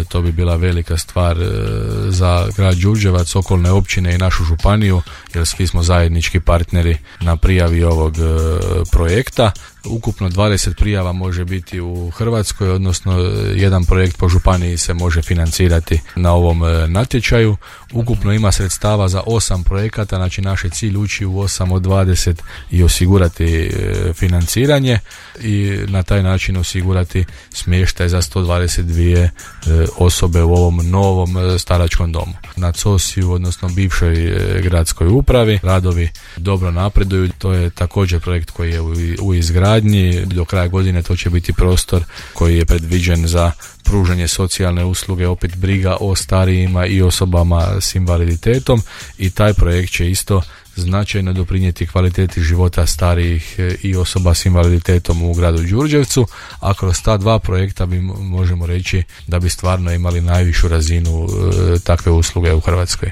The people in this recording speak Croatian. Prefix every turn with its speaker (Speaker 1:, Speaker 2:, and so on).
Speaker 1: to bi bila velika stvar za grad Đurđevac, okolne općine i našu županiju, jer svi smo zajednički partneri na prijavi ovog projekta. Ukupno 20 prijava može biti u Hrvatskoj, odnosno jedan projekt po županiji se može financirati na ovom natječaju. Ukupno ima sredstava za 8 projekata, znači naš je cilj ući u 8 od 20 i osigurati financiranje i na taj način osigurati smještaj za 122 osobe u ovom novom staračkom domu. Na COSI-u, odnosno bivšoj gradskoj upravi, radovi dobro napreduju. To je također projekt koji je u izgradnji. Do kraja godine to će biti prostor koji je predviđen za pružanje socijalne usluge, opet briga o starijima i osobama s invaliditetom, i taj projekt će isto značajno doprinijeti kvaliteti života starijih i osoba s invaliditetom u gradu Đurđevcu, a kroz ta dva projekta možemo reći da bi stvarno imali najvišu razinu takve usluge u Hrvatskoj.